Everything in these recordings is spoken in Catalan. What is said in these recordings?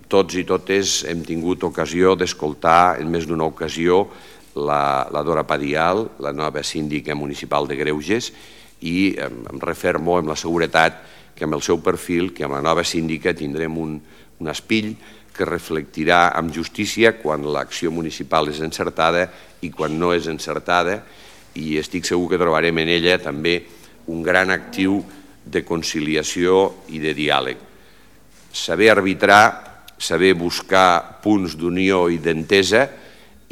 tots i totes hem tingut ocasió d'escoltar en més d'una ocasió la Dora Padial, la nova síndica municipal de Greuges, i em refermo amb la seguretat que amb el seu perfil, que amb la nova síndica tindrem un espill que reflectirà amb justícia quan l'acció municipal és encertada i quan no és encertada, i estic segur que trobarem en ella també un gran actiu de conciliació i de diàleg. Saber arbitrar, saber buscar punts d'unió i d'entesa,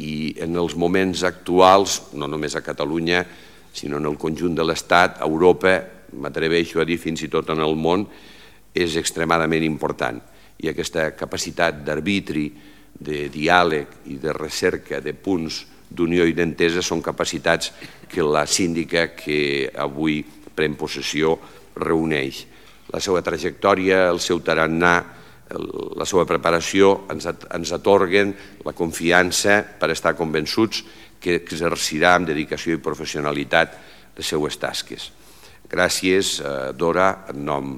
i en els moments actuals, no només a Catalunya, sinó en el conjunt de l'Estat, a Europa, m'atreveixo a dir fins i tot en el món, és extremadament important. I aquesta capacitat d'arbitri, de diàleg i de recerca de punts d'unió i d'entesa són capacitats que la síndica que avui pren possessió reuneix. La seva trajectòria, el seu tarannà, la seva preparació ens atorguen la confiança per estar convençuts que exercirà amb dedicació i professionalitat les seues tasques. Gràcies, Dora, en nom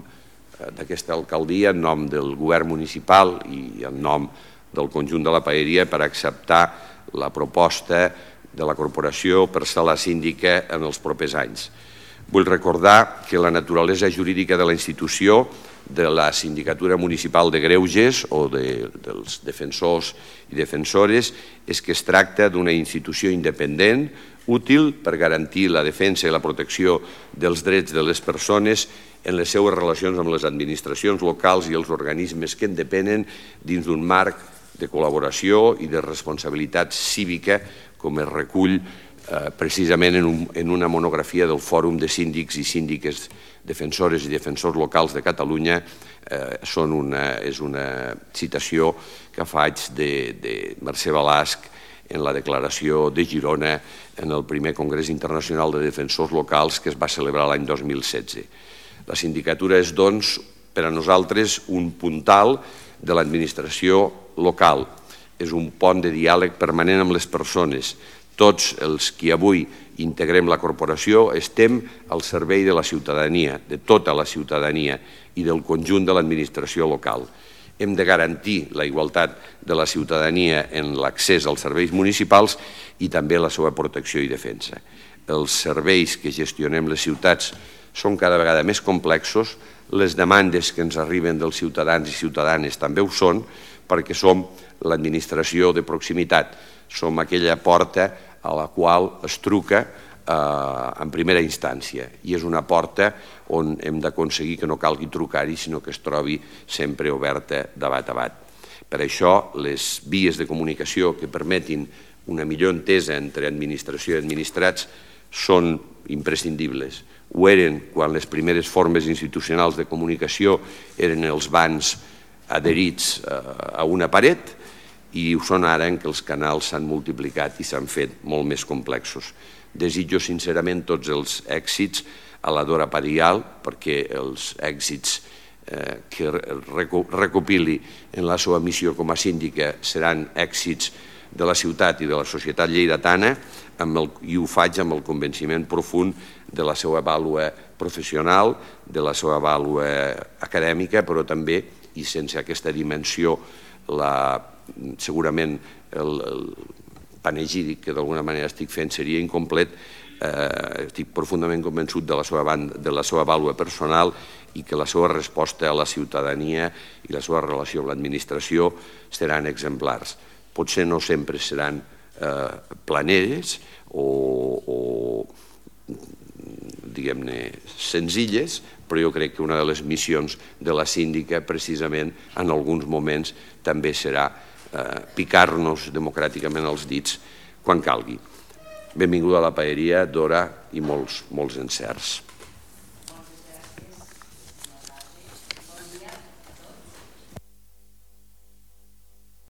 d'aquesta alcaldia, en nom del govern municipal i en nom del conjunt de la Paeria per acceptar la proposta de la corporació per ser la síndica en els propers anys. Vull recordar que la naturalesa jurídica de la institució, de la Sindicatura Municipal de Greuges o dels defensors i defensores, és que es tracta d'una institució independent, útil per garantir la defensa i la protecció dels drets de les persones en les seues relacions amb les administracions locals i els organismes que en depenen dins d'un marc de col·laboració i de responsabilitat cívica, com es recull precisament en una monografia del Fòrum de Síndics i Síndiques Defensores i Defensors Locals de Catalunya. És una citació que faig de Mercè Balasc en la declaració de Girona en el primer Congrés Internacional de Defensors Locals que es va celebrar l'any 2016. La sindicatura és, doncs, per a nosaltres un puntal de l'administració local. És un pont de diàleg permanent amb les persones. Tots els que avui integrem la corporació estem al servei de la ciutadania, de tota la ciutadania i del conjunt de l'administració local. Hem de garantir la igualtat de la ciutadania en l'accés als serveis municipals i també la seva protecció i defensa. Els serveis que gestionem les ciutats són cada vegada més complexos, les demandes que ens arriben dels ciutadans i ciutadanes també ho són, perquè som l'administració de proximitat, som aquella porta a la qual es truca en primera instància, i és una porta on hem d'aconseguir que no calgui trucar-hi, sinó que es trobi sempre oberta de bat a bat. Per això, les vies de comunicació que permetin una millor entesa entre administració i administrats són imprescindibles. Ho eren quan les primeres formes institucionals de comunicació eren els bans adherits a una paret, i ho són ara en què els canals s'han multiplicat i s'han fet molt més complexos. Desitjo sincerament tots els èxits a la Dora Padial, perquè els èxits que recopili en la seva missió com a síndica seran èxits de la ciutat i de la societat lleidatana, i ho faig amb el convenciment profund de la seva vàlua professional, de la seva vàlua acadèmica, però també, i sense aquesta dimensió, segurament el panegíric que d'alguna manera estic fent seria incomplet. Estic profundament convençut de la seva vàlua personal i que la seva resposta a la ciutadania i la seva relació amb l'administració seran exemplars. Potser no sempre seran planeres o diguem-ne senzilles, però jo crec que una de les missions de la síndica precisament en alguns moments també serà picar-nos democràticament els dits quan calgui. Benvinguda a la Paeria, Dora, i molts encerts.